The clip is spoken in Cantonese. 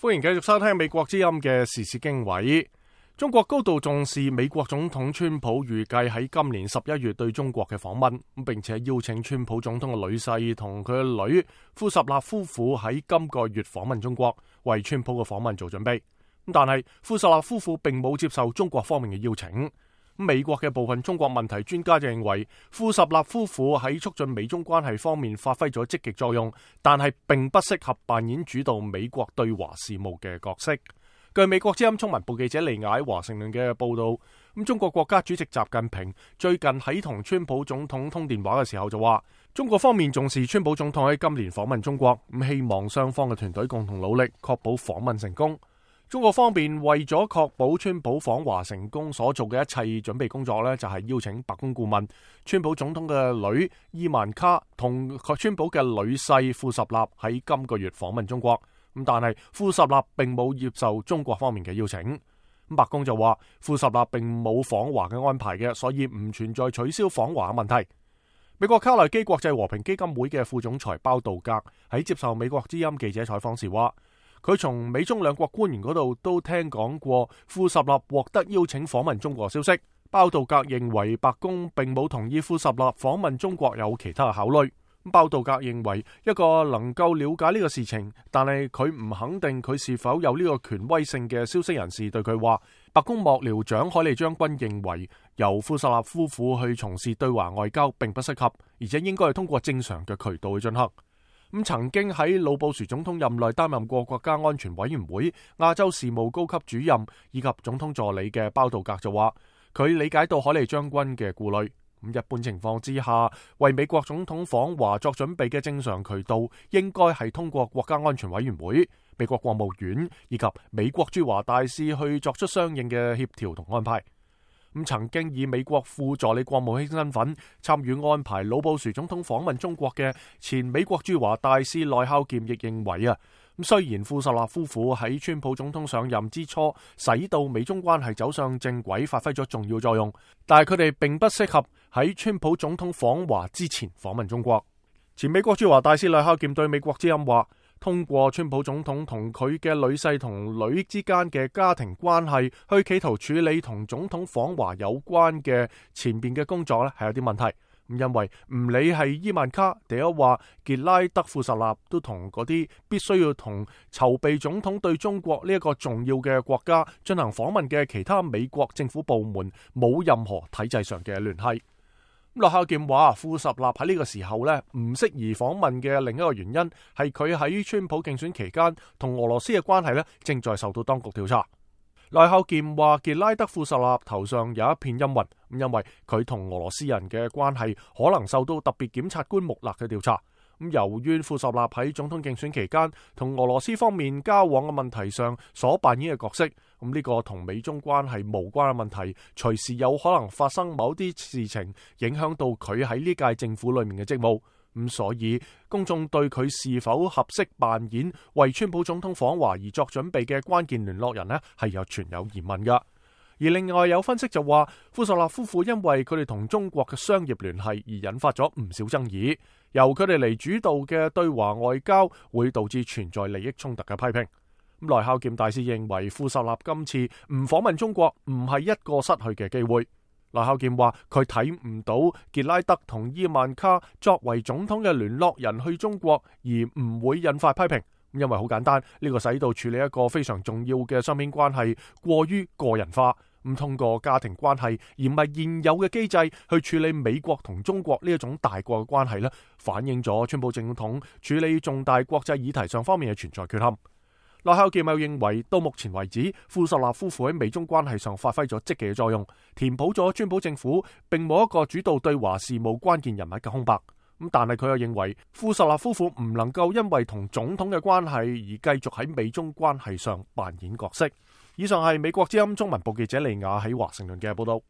歡迎繼續收聽美國之音嘅時事經緯。中國高度重視美國總統川普預計喺今年11月對中國嘅訪問，並且邀請川普總統嘅女婿同佢嘅女庫什納夫婦喺今個月訪問中國，為川普嘅訪問做準備。但係庫什納夫婦並冇接受中國方面嘅邀請。美國嘅部分中國問題專家就認為，庫什納夫婦喺促進美中關係方面發揮咗積極作用，但係並不適合扮演主導美國對華事務嘅角色。據美國之音中文部記者利亞喺華盛頓嘅報道，中國國家主席習近平最近喺同川普總統通電話嘅時候就話，中國方面重視川普總統喺今年訪問中國，希望雙方嘅團隊共同努力，確保訪問成功。中國方面為咗確保川普訪華成功所做嘅一切準備工作呢，就係邀請白宮顧問川普總統嘅女伊萬卡同川普嘅女婿庫什納喺今個月訪問中國。但係庫什納並冇接受中國方面嘅邀請。白宮就話庫什納並冇訪華嘅安排嘅，所以唔存在取消訪華嘅問題。美國卡內基國際和平基金會嘅副總裁包道格喺接受美國之音記者採訪時話，佢從美中兩國官員嗰度都聽講過庫什納獲得邀請訪問中國消息。包道格認為白宮並冇同意庫什納訪問中國有其他嘅考慮。包道格認為一個能夠了解呢個事情，但係佢唔肯定佢是否有呢個權威性嘅消息人士對佢話，白宮幕僚長海利將軍認為由庫什納夫婦去從事對華外交並不適合，而且應該係通過正常嘅渠道去進行。曾經喺老布殊總統任內擔任過國家安全委員會亞洲事務高級主任以及總統助理嘅包道格就話，佢理解到海利將軍嘅顧慮。一般情況之下，為美國總統訪華作準備嘅正常渠道應該係通過國家安全委員會、美國國務院以及美國駐華大使去作出相應嘅協調同安排。曾經以美國副助理國務卿身份參與安排老布殊總統訪問中國嘅前美國駐華大使內孝儉亦認為雖然庫什納夫婦喺川普總統上任之初使到美中關係走上正軌發揮咗重要作用，但係佢哋並不適合喺川普總統訪華之前訪問中國。前美國駐華大使內孝儉對美國之音話，通過川普總統同佢嘅女婿同女之間嘅家庭關係去企圖處理同總統訪華有關嘅前邊嘅工作咧，係有啲問題。因為唔理係伊萬卡，定係話傑拉德庫什納，都同嗰啲必須要同籌備總統對中國呢一個重要嘅國家進行訪問嘅其他美國政府部門冇任何體制上嘅聯繫。內孝儉話，庫什納喺呢個時候呢唔適宜訪問嘅另一個原因係佢喺川普競選期間同俄羅斯嘅關係呢正在受到當局調查。內孝儉話，傑拉德庫什納頭上有一片陰雲，因為佢同俄羅斯人嘅關係可能受到特別檢察官穆勒嘅調查。由於庫什納喺總統競選期間同俄羅斯方面交往嘅問題上所扮演嘅角色，呢個同美中關係無關嘅問題，隨時有可能發生某啲事情影響到佢喺呢屆政府裏面嘅職務。所以公眾對佢是否合適扮演為川普總統訪華而作準備嘅關鍵聯絡人呢，係存有疑問噶。而另外有分析就話，庫什納夫婦因為佢哋同中國嘅商業聯繫而引發咗唔少爭議，由佢哋嚟主導嘅對華外交會導致存在利益衝突嘅批評。內孝儉大使認為庫什納今次唔訪問中國唔係一個失去嘅機會。內孝儉話佢睇唔到傑拉德同伊萬卡作為總統嘅聯絡人去中國而唔會引發批評，因為好簡單，呢個使到處理一個非常重要嘅雙邊關係過於個人化，通過家庭關係而唔係現有嘅機制去處理美國同中國呢一種大國嘅關係，反映咗川普總統處理重大國際議題上方面嘅存在缺陷。內孝儉又認為，到目前為止，庫什納夫婦喺美中關係上發揮咗積極嘅作用，填補咗川普政府並冇一個主導對華事務關鍵人物嘅空白。但係佢又認為，庫什納夫婦唔能夠因為同總統嘅關係而繼續喺美中關係上扮演角色。以上係美國之音中文部記者利亞喺華盛頓嘅報道。